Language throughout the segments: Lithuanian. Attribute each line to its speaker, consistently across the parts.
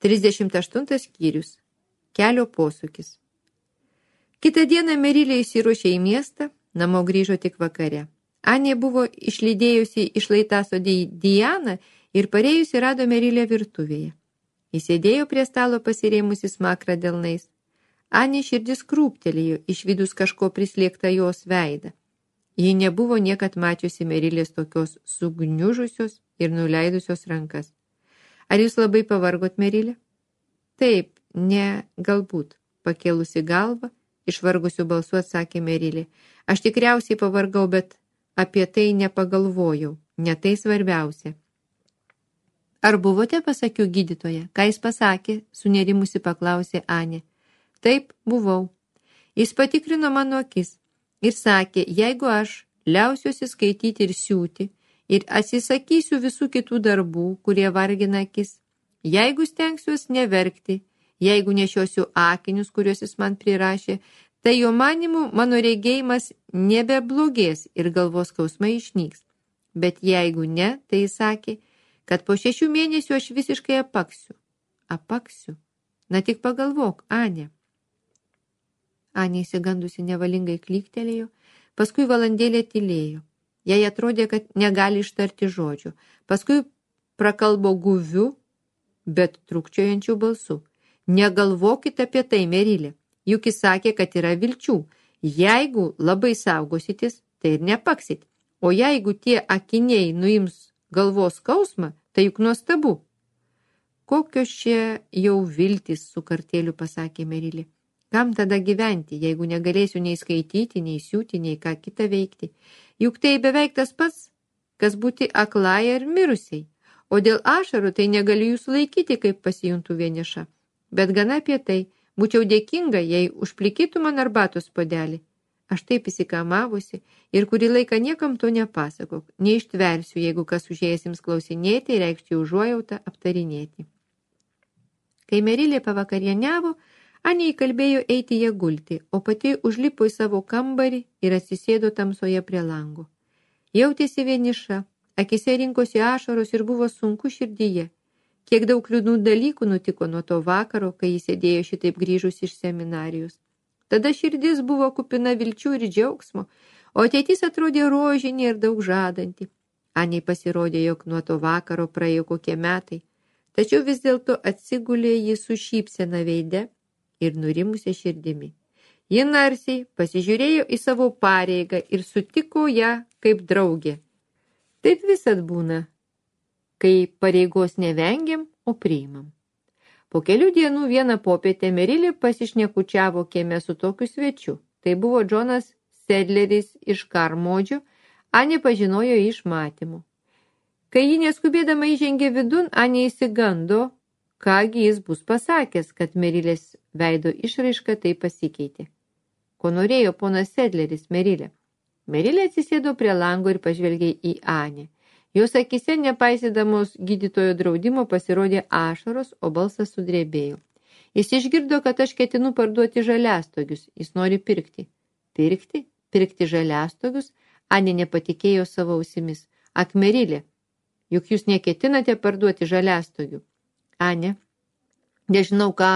Speaker 1: 38 skyrius. Kelio posūkis. Kitą dieną Merilė įsiruošė į miestą, namo grįžo tik vakare. Anė buvo išlydėjusi iš laitasodę Dianą ir parėjusi rado Merilę virtuvėje. Jis sėdėjo prie stalo pasirėmusi smakrą delnais. Anė širdis krūptelėjo, išvydus kažko prislėgtą jos veidą. Ji nebuvo niekad mačiusi Merilės tokios sugniužusios ir nuleidusios rankas. Ar jūs labai pavargot, Merilė? Taip, ne, galbūt, pakėlusi galvą, išvargusiu balsu atsakė Merilė. Aš tikriausiai pavargau, bet apie tai nepagalvojau, ne tai svarbiausia. Ar buvote pasakių gydytoje? Ką jis pasakė? Sunerimusi paklausė Anė. Taip, buvau. Jis patikrino mano akis ir sakė, jeigu aš liausiuosi skaityti ir siūti ir atsisakysiu visų kitų darbų, kurie vargina akis, jeigu stengsiuos neverkti, jeigu nešiosiu akinius, kuriuos jis man prirašė, tai jo manimu mano regėjimas nebeblogės ir galvos skausmai išnyks. Bet jeigu ne, tai jis sakė, kad po 6 mėnesių aš visiškai apaksiu. Apaksiu? Na tik pagalvok, Anė. Anė įsigandusi nevalingai klyktelėjo, paskui valandėlę tylėjo. Jai atrodė, kad negali ištarti žodžio. Paskui prakalbo guviu, bet trūkčiojančių balsų. Negalvokit apie tai, Merilė. Juk jis sakė, kad yra vilčių. Jeigu labai saugositės, tai ir nepaksit. O jeigu tie akiniai nuims galvos skausmą, tai juk nuostabu. Kokios čia jau viltis, su kartėliu pasakė Merilė. Kam tada gyventi, jeigu negalėsiu nei skaityti, nei siūti, nei ką kitą veikti? Juk tai beveik tas pats, kas būti aklai ar mirusiai. O dėl ašarų tai negaliu jūsų laikyti, kaip pasijuntų vieniša. Bet gana apie tai, būčiau dėkinga, jei užplikytų man arbatos puodelį. Aš taip įsikamavusi ir kurį laiką niekam to nepasakok. Neištversiu, jeigu kas užėjęs jums klausinėti ir reikšti užuojautą aptarinėti. Kai Merilė pavakarieniavo, Anė įkalbėjo eiti ją gulti, o pati užlipo į savo kambarį ir atsisėdo tamsoje prie lango. Jautėsi vieniša, akise rinkosi ašaros ir buvo sunku širdyje. Kiek daug liūdnų dalykų nutiko nuo to vakaro, kai jis sėdėjo šitaip grįžus iš seminarijos. Tada širdis buvo kupina vilčių ir džiaugsmo, o ateitis atrodė rožinė ir daug žadanti. Anei pasirodė, jog nuo to vakaro praėjo kokie metai, tačiau vis dėlto atsigulė jį su šypsena veide ir nurimusia širdimi. Ji narsiai pasižiūrėjo į savo pareigą ir sutiko ją kaip draugė. Taip visad būna, kai pareigos nevengiam, o priimam. Po kelių dienų vieną popietę Merilė pasišnekučiavo kieme su tokiu svečiu. Tai buvo Džonas Sedleris iš Karmodžio, Anė pažinojo iš matymų. Kai ji neskubėdama įžengė vidun, Anė įsigando, kągi jis bus pasakęs, kad Merilės veido išraiška tai pasikeitė. Ko norėjo ponas Sedleris, Merilė? Merilė atsisėdo prie lango ir pažvelgė į Anę. Jos akise, nepaisydamos gydytojo draudimo, pasirodė ašaros, o balsas sudrebėjo. Jis išgirdo, kad aš ketinu parduoti žaliastogius. Jis nori pirkti. Pirkti? Pirkti žaliastogius? Anė nepatikėjo savo ausimis. Ak, Merilė, juk jūs neketinate parduoti žaliastogių. Anė, nežinau, ką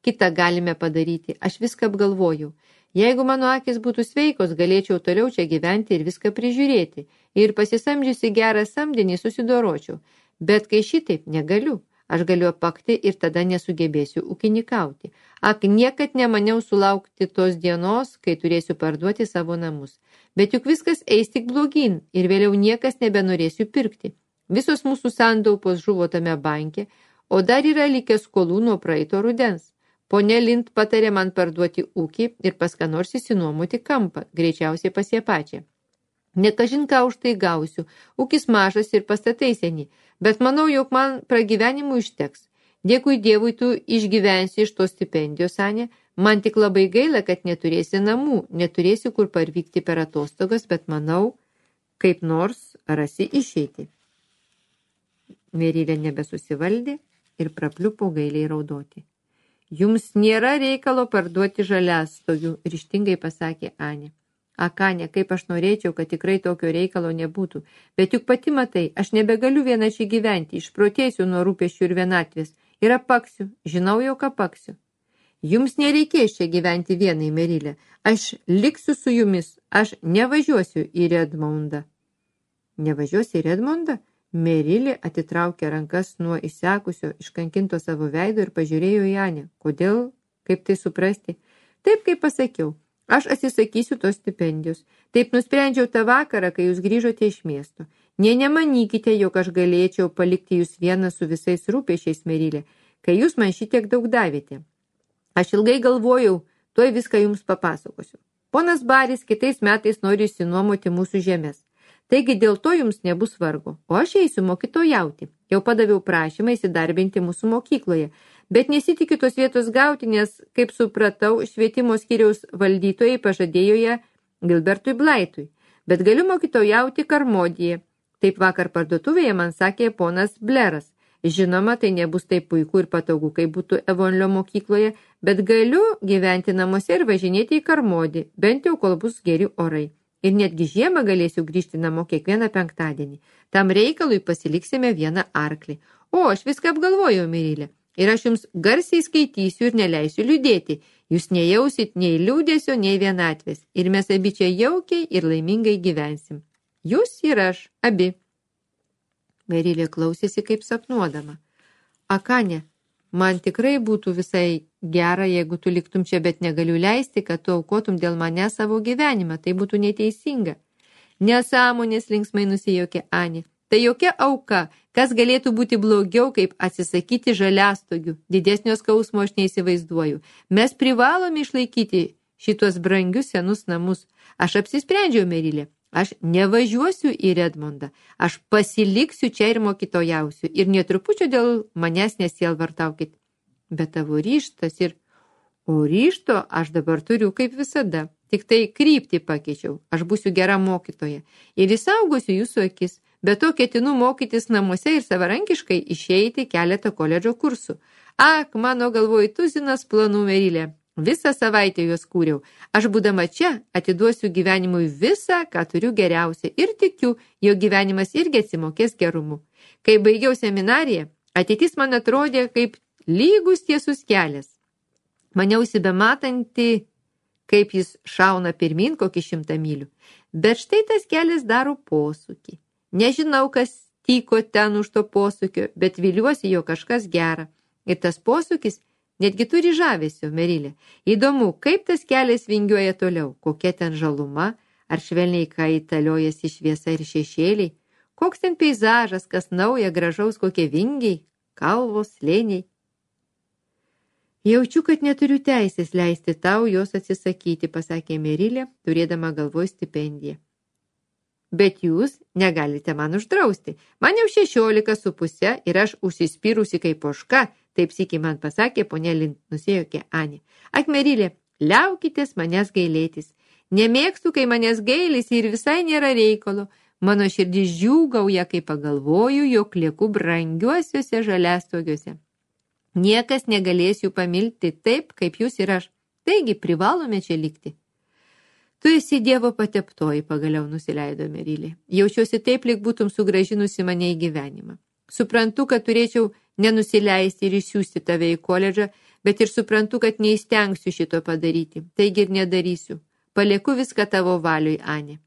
Speaker 1: kitą galime padaryti. Aš viską apgalvojau. Jeigu mano akis būtų sveikos, galėčiau toliau čia gyventi ir viską prižiūrėti. Ir pasisamdžiusi gerą samdinį susidoročiau. Bet kai šitaip negaliu, aš galiu apakti ir tada nesugebėsiu ūkininkauti. Ak, niekad nemaniau sulaukti tos dienos, kai turėsiu parduoti savo namus. Bet juk viskas eis tik blogyn ir vėliau niekas nebenorėsiu pirkti. Visos mūsų santaupos žuvo tame banke, o dar yra likę skolų nuo praeito rudens. Ponia Lind patarė man parduoti ūkį ir pas ką nors įsinuomoti kampą, greičiausiai pas ją pačią. Nekažin ką už tai gausiu, ūkis mažas ir pastatai seni, bet manau, jog man pragyvenimų užteks. Dėkui Dievui, tu išgyvensi iš tos stipendijos, Anė. Man tik labai gaila, kad neturėsi namų, neturėsi kur parvykti per atostogas, bet manau, kaip nors rasi išeiti. Merilė nebesusivaldė ir prapliupo gailiai raudoti. Jums nėra reikalo parduoti žaliastogių, ryžtingai pasakė Anė. Ak, Anė, kaip aš norėčiau, kad tikrai tokio reikalo nebūtų. Bet juk pati matai, aš nebegaliu vienačiai gyventi, išprotėsiu nuo rūpesčių ir vienatvės. ir apaksiu, žinau jau, ką apaksiu. Jums nereikės čia gyventi vienai, Merilė. Aš liksiu su jumis, aš nevažiuosiu į Redmondą. Nevažiuosi į Redmondą? Merilė atitraukė rankas nuo įsekusio, iškankinto savo veido ir pažiūrėjo į Anę. Kodėl? Kaip tai suprasti? Taip, kaip pasakiau. Aš atsisakysiu tos stipendijos. Taip nusprendžiau tą vakarą, kai jūs grįžote iš miesto. Nemanykite, jog aš galėčiau palikti jūs vieną su visais rūpesčiais, Merilė, kai jūs man šitiek daug davėte. Aš ilgai galvojau, tuoj viską jums papasakosiu. Ponas Baris kitais metais nori išsinuomoti mūsų žemės. Taigi dėl to jums nebus vargo, o aš eisiu mokytojauti. Jau padaviau prašymą įsidarbinti mūsų mokykloje, bet nesitikiu tos vietos gauti, nes, kaip supratau, švietimo skyriaus valdytojai pažadėjo ją Gilbertui Blaitui, bet galiu mokytojauti Karmodyje. Taip vakar parduotuvėje man sakė ponas Bleras. Žinoma, tai nebus taip puiku ir patogu, kaip būtų Evonlio mokykloje, bet galiu gyventi namuose ir važinėti į Karmodį, bent jau kol bus geri orai. Ir netgi žiemą galėsiu grįžti namo kiekvieną penktadienį. Tam reikalui pasiliksime vieną arklį. O, aš viską apgalvojau, Merilė. Ir aš jums garsiai skaitysiu ir neleisiu liūdėti. Jūs nejausit nei liūdėsio, nei vienatvės. Ir mes abi čia jaukiai ir laimingai gyvensim. Jūs ir aš, abi. Merilė klausėsi kaip sapnuodama. Akanė, man tikrai būtų visai gera, jeigu tu liktum čia, bet negaliu leisti, kad tu aukotum dėl mane savo gyvenimą. Tai būtų neteisinga. Nesąmonės, linksmai nusijuokė Anė. Tai jokia auka, kas galėtų būti blogiau, kaip atsisakyti žaliastogių. Didesnio skausmo aš neįsivaizduoju. Mes privalome išlaikyti šitos brangius senus namus. Aš apsisprendžiau, Merilė. Aš nevažiuosiu į Redmondą. Aš pasiliksiu čia ir mokytojausiu. Ir netrupučio dėl manęs nesielvartaukit. Bet tavo ryžtas ir... O ryžto aš dabar turiu kaip visada. Tik tai kryptį pakeičiau. Aš būsiu gera mokytoja. Ir įsaugosiu jūsų akis. Be to ketinu mokytis namuose ir savarankiškai išeiti keletą koledžo kursų. Ak, mano galvoj tuzinas planų, Merilė. Visą savaitę juos kūriau. Aš būdama čia atiduosiu gyvenimui visą, ką turiu geriausia ir tikiu, jo gyvenimas irgi atsimokės gerumu. Kai baigiau seminariją, ateitis man atrodė kaip lygus tiesus kelias. Maniausi bematanti, kaip jis šauna pirmin kokį 100 mylių. Bet štai tas kelias daro posūkį. Nežinau, kas tyko ten už to posūkio, bet viliuosi, jo kažkas gera. Ir tas posūkis netgi turi žavesio, Merilė. Įdomu, kaip tas kelias vingiuoja toliau, kokia ten žaluma, ar švelniai kaitaliojasi šviesa ir šešėliai, koks ten peizažas, kas nauja, gražaus, kokie vingiai, kalvos, slėniai. Jaučiu, kad neturiu teisės leisti tau jos atsisakyti, pasakė Merilė, turėdama galvoj stipendiją. Bet jūs negalite man uždrausti. Man jau 16,5 ir aš užsispyrusi kaip ožka, taip sykį man pasakė ponia Lind, nusijuokė Anė. Ak, Merilė, liaukitės manęs gailėtis. Nemėgstu, kai manęs gailisi ir visai nėra reikalo. Mano širdis džiūgauja, kai pagalvoju, jog lieku brangiuosiuose žaliastogiuose. Niekas negalės jų pamilti taip, kaip jūs ir aš. Taigi privalome čia likti. Tu esi Dievo pateptoji, pagaliau nusileido Merilė. Jaučiuosi taip, lyg būtum sugrąžinusi mane į gyvenimą. Suprantu, kad turėčiau nenusileisti ir išsiųsti tave į koledžą, bet ir suprantu, kad neįstengsiu šito padaryti. Taigi ir nedarysiu. Palieku viską tavo valiui, Anė.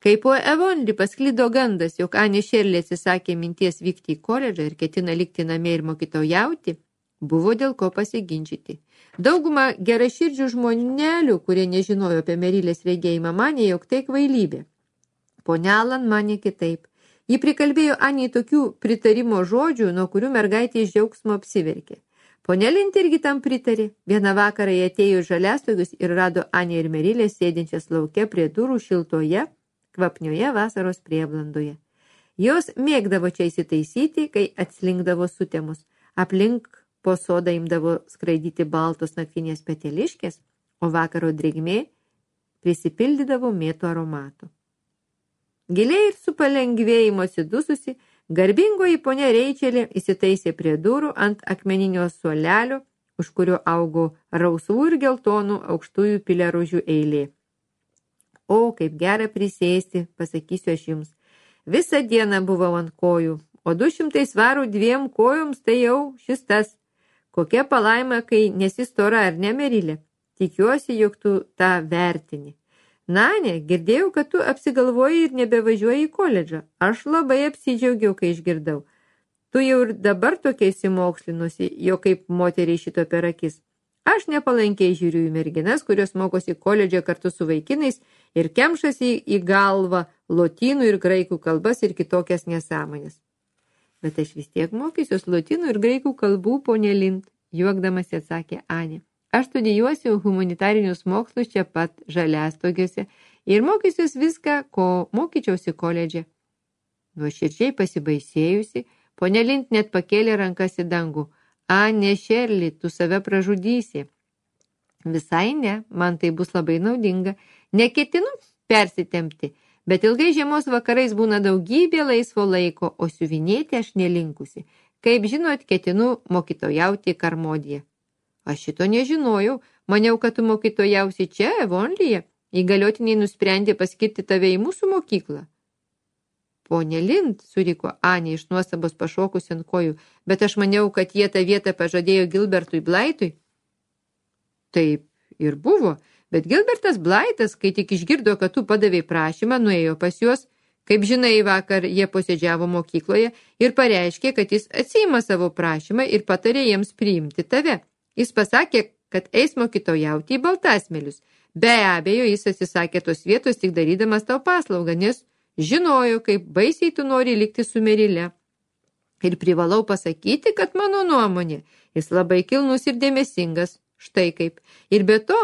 Speaker 1: Kai po Evonlį pasklido gandas, jog Anė Šerlė atsisakė minties vykti į koledžą ir ketina likti namie ir mokytojauti, buvo dėl ko pasiginčyti. Dauguma geraširdžių žmonelių, kurie nežinojo apie Merilės regėjimą, manė, jog tai kvailybė. Ponia Alan manė kitaip. Ji prikalbėjo Anei tokių pritarimo žodžių, nuo kurių mergaitė iš džiaugsmo apsiverkė. Ponia Lind irgi tam pritarė. Vieną vakarą jie atėjo į žaliastogius ir rado Anę ir Merilę sėdinčias lauke prie durų šiltoje, kvapnioje vasaros prieblandoje. Jos mėgdavo čia įsitaisyti, kai atslinkdavo sutemos. Aplink po sodą imdavo skraidyti baltos naktinės peteliškės, o vakaro drėgmė prisipildydavo mėtų aromato. Giliai ir su palengvėjimu atsidususi, garbingoji ponia Reičelė įsitaisė prie durų ant akmeninio suolelio, už kurio augo rausvų ir geltonų aukštųjų piliaružių eilė. O, kaip gera prisėsti, pasakysiu aš jums. Visą dieną buvau ant kojų, o 200 svarų 2 kojoms tai jau šis tas. Kokia palaima, kai nesi stora ar ne, Merilė? Tikiuosi, jog tu tą vertini. Na, ne, girdėjau, kad tu apsigalvoji ir nebevažiuoji į koledžą. Aš labai apsidžiaugiau, kai išgirdau. Tu jau ir dabar tokia įsimokslinusi, jo kaip moteriai šito per akis. Aš nepalankiai žiūriu į merginas, kurios mokosi koledže kartu su vaikinais ir kemšasi į galvą lotynų ir graikų kalbas ir kitokias nesąmonės. Bet aš vis tiek mokysiuos lotynų ir graikų kalbų, ponė Lind, juokdamasi atsakė Anė. Aš studijuosiu humanitarinius mokslus čia pat Žaliastogiuose ir mokysiuos viską, ko mokyčiausi koledže. Nuoširdžiai pasibaisėjusi, ponė Lind net pakėlė rankas į dangų. Anė Šerli, tu save pražudysi. Visai ne, man tai bus labai naudinga. Neketinu persitempti, bet ilgai žiemos vakarais būna daugybė laisvo laiko, o siuvinėti aš nelinkusi. Kaip žinot, ketinu mokytojauti Karmodyje. Aš šito nežinojau, maniau, kad tu mokytojausi čia, Evonlyje. Įgaliotiniai nusprendė paskirti tave į mūsų mokyklą. Ponė Lind, suriko Anė iš nuostabos pašokus ant kojų, bet aš maniau, kad jie tą vietą pažadėjo Gilbertui Blaitui. Taip ir buvo, bet Gilbertas Blaitas, kai tik išgirdo, kad tu padavei prašymą, nuėjo pas juos, kaip žinai, vakar jie posėdžiavo mokykloje ir pareiškė, kad jis atsiima savo prašymą ir patarė jiems priimti tave. Jis pasakė, kad eis mokytojauti į Baltasmelius. Be abejo, jis atsisakė tos vietos tik darydamas tau paslaugą, nes žinojo, kaip baisiai tu nori likti su Merile. Ir privalau pasakyti, kad mano nuomonė, jis labai kilnus ir dėmesingas, štai kaip. Ir be to,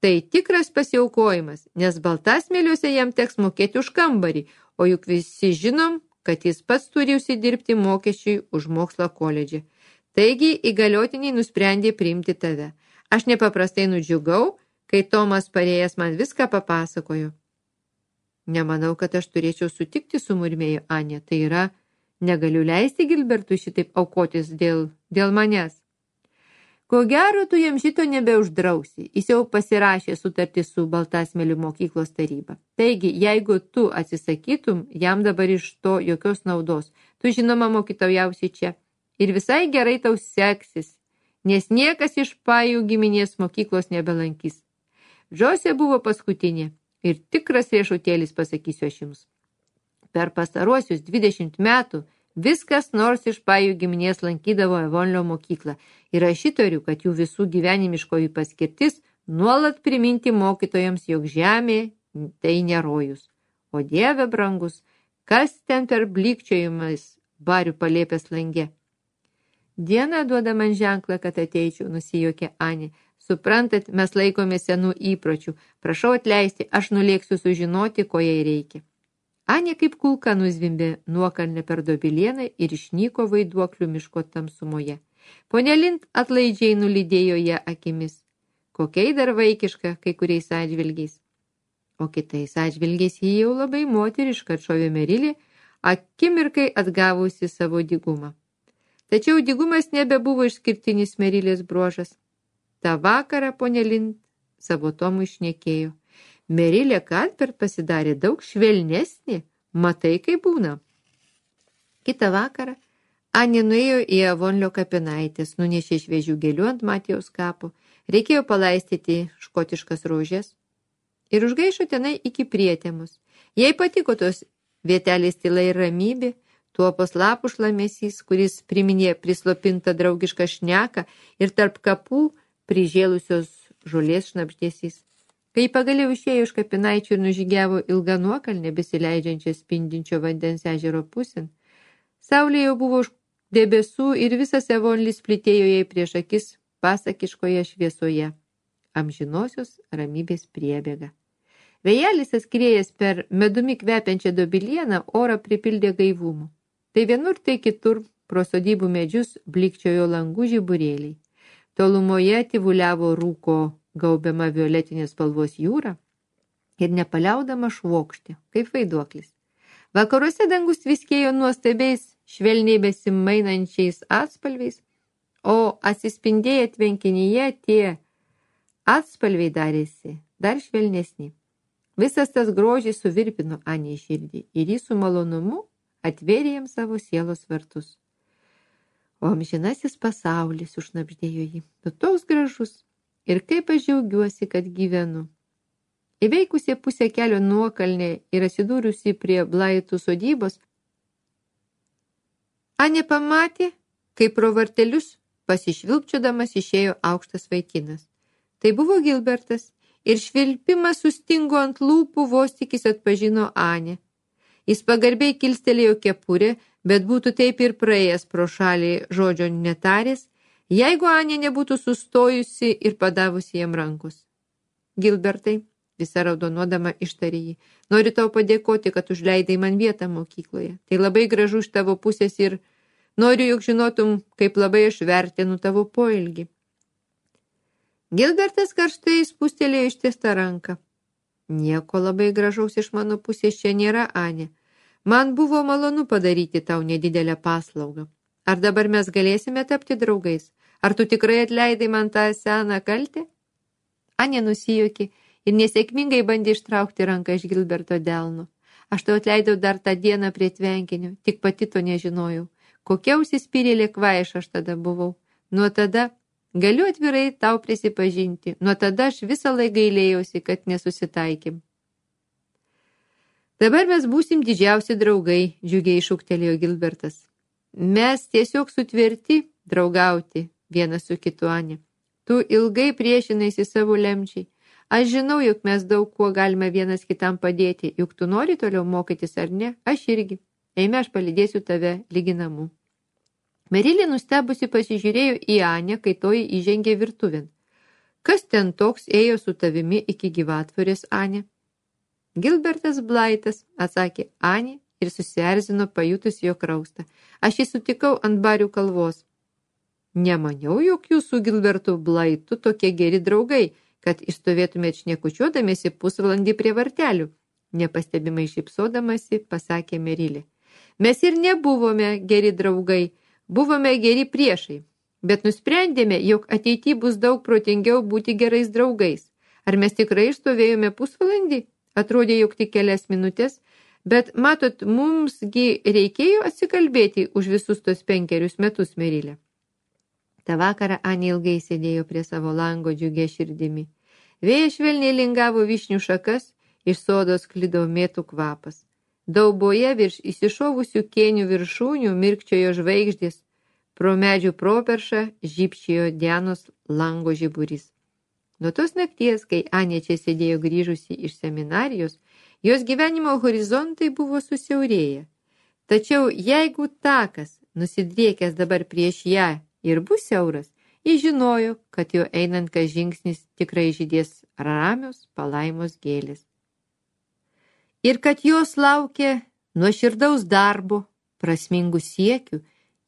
Speaker 1: tai tikras pasiaukojimas, nes Baltasmeliuose jam teks mokėti už kambarį, o juk visi žinom, kad jis pats turi užsidirbti mokesčiui už mokslą koledže. Taigi įgaliotiniai nusprendė priimti tave. Aš nepaprastai nudžiugau, kai Tomas parėjęs man viską papasakojo. Nemanau, kad aš turėčiau sutikti, sumurmėjo Anė. Tai yra, negaliu leisti Gilbertui šitaip aukotis dėl manęs. Ko gero, tu jam šito nebeuždrausi. Jis jau pasirašė sutartį su Baltasmelių mokyklos taryba. Taigi, jeigu tu atsisakytum, jam dabar iš to jokios naudos. Tu žinoma mokytojausi čia. Ir visai gerai tau seksis, nes niekas iš Pajų giminės mokyklos nebelankys. Džosė buvo paskutinė. Ir tikras riešutėlis, pasakysiu aš jums. Per pastaruosius 20 metų viskas nors iš Pajų giminės lankydavo Evonlio mokyklą. Ir aš įtariu, kad jų visų gyvenimiškoji paskirtis nuolat priminti mokytojams, jog žemė tai nerojus. O Dieve brangus, kas ten per blikčiojimas barių palėpės lange? Dieną duoda man ženklą, kad ateičiau, nusijuokė Anė. Suprantat, mes laikome senų įpročių. Prašau atleisti, aš nulėksiu sužinoti, ko jai reikia. Anė kaip kulka nuzvimbė nuokalnę per dobilieną ir išnyko vaiduoklių miško tamsumoje. Ponė Lind atlaidžiai nulydėjo ją akimis. Kokiai dar vaikiška kai kuriais atžvilgiais. O kitais atžvilgiais jį jau labai moteriška, atšovė Merilė, akimirkai atgavusi savo dygumą. Tačiau dygumas nebebuvo išskirtinis Merilės bruožas. Ta vakarą ponė Lind savo Tomui šnekėjo. Merilė Kadpert pasidarė daug švelnesnė, matai, kaip būna. Kitą vakarą Anė nuėjo į Avonlio kapinaitės, nunešė šviežių gėlių ant Matijaus kapo, reikėjo palaistyti škotiškas rožes ir užgaišo tenai iki prietemus. Jai patiko tos vietelės tyla ir ramybė, tuopos lapų šlamesys, kuris priminė prislopintą draugišką šneką ir tarp kapų prižėlusios žolės šnabždėsys. Kai pagaliau išėjo iš kapinaičių ir nužygiavo ilgą nuokalnę besileidžiančią spindinčio vandens ežero pusėn, saulė jau buvo už debesų ir visas Evonlis plytėjo jai prieš akis pasakiškoje šviesoje. Amžinosios ramybės priebėga. Vėjelis atskrėjęs per medumi kvepiančią dobilieną orą pripildė gaivumu. Tai vienur, tai kitur pro sodybų medžius blikčiojo langų žiburėliai. Tolumoje tyvuliavo rūko gaubiama violetinės spalvos jūra ir nepaliaudama švokštė, kaip vaiduoklis. Vakaruose dangus tviskėjo nuostabiais, švelniai besimainančiais atspalviais, o atsispindėję tvenkinyje tie atspalviai darėsi dar švelnesni. Visas tas grožis suvirpino Anei širdį ir jį su malonumu atvėrė jam savo sielos vartus. O amžinasis pasaulis, sušnabždėjo ji, tu toks gražus ir kaip aš džiaugiuosi, kad gyvenu. Įveikusi pusę kelio nuokalnė ir atsidūrusi prie Blaitų sodybos, Anė pamatė, kaip pro vartelius pasišvilpčiodamas išėjo aukštas vaikinas. Tai buvo Gilbertas ir švilpimas sustingo ant lūpų, vos tik jis atpažino Anę. Jis pagarbiai kilstelėjo kepurę, bet būtų taip ir praėjęs pro šalį žodžio netaręs, jeigu Anė nebūtų sustojusi ir padavusi jam rankos. Gilbertai, visa raudonuodama ištarė jį, noriu tau padėkoti, kad užleidai man vietą mokykloje. Tai labai gražu iš tavo pusės ir noriu, jog žinotum, kaip labai aš vertinu tavo poelgį. Gilbertas karštai spustelėjo ištiestą ranką. Nieko labai gražaus iš mano pusės čia nėra, Anė. Man buvo malonu padaryti tau nedidelę paslaugą. Ar dabar mes galėsime tapti draugais? Ar tu tikrai atleidai man tą seną kaltę? Anė nusijuokė ir nesėkmingai bandė ištraukti ranką iš Gilberto delno. Aš tau atleidau dar tą dieną prie tvenkinio, tik pati to nežinojau. Kokia užsispyrėlė kvaiša aš tada buvau. Nuo tada, galiu atvirai tau prisipažinti, nuo tada aš visą laiką gailėjausi, kad nesusitaikėm. Dabar mes būsim didžiausi draugai, džiugiai šūktelėjo Gilbertas. Mes tiesiog sutverti draugauti vienas su kitu, Anė. Tu ilgai priešinaisi savo lemčiai. Aš žinau, jog mes daug kuo galime vienas kitam padėti, juk tu nori toliau mokytis ar ne, aš irgi. Eime, aš palydėsiu tave lygi namų. Merilė nustebusi pasižiūrėjo į Anę, kai toji įžengė virtuvėn. Kas ten toks ėjo su tavimi iki gyvatvorės, Anė? Gilbertas Blaitas, atsakė Anė ir susierzino pajutus jo kraustą. Aš jį sutikau ant Barių kalvos. Nemaniau, jog jūs su Gilbertu Blaitu tokie geri draugai, kad išstovėtumėt šnekučiuodamėsi pusvalandį prie vartelių. Nepastebimai šypsodamasi, pasakė Merilė. Mes ir nebuvome geri draugai, buvome geri priešai, bet nusprendėme, jog ateityje bus daug protingiau būti gerais draugais. Ar mes tikrai išstovėjome pusvalandį? Atrodė, jog tik kelias minutės, bet matot, mumsgi reikėjo atsikalbėti už visus tos 5 metus, Merilė. Ta vakarą Anė ilgai sėdėjo prie savo lango džiugia širdimi. Vėjas švelniai lingavo vyšnių šakas, iš sodos sklido mėtų kvapas. Dauboje virš įsišovusių kėnių viršūnių mirkčiojo žvaigždės, pro medžių properšą žybčiojo Dianos lango žiburys. Nuo tos nakties, kai Anė čia sėdėjo grįžusi iš seminarijos, jos gyvenimo horizontai buvo susiaurėję. Tačiau jeigu takas, nusidriekęs dabar prieš ją, ir bus siauras, jis žinojo, kad jo einant kas žingsnis tikrai žydės ramios palaimos gėlės. Ir kad jos laukia nuoširdaus darbo, prasmingų siekių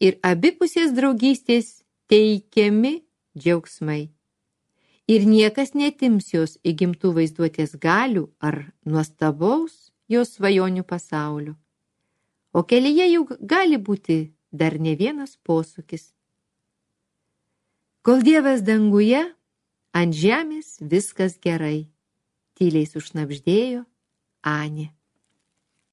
Speaker 1: ir abipusės draugystės teikiami džiaugsmai. Ir niekas netims jos įgimtų vaizduotės galių ar nuostabaus jos svajonių pasaulio. O kelyje juk gali būti dar ne vienas posūkis. Kol Dievas danguje, ant žemės viskas gerai, tyliai sušnabždėjo Anė.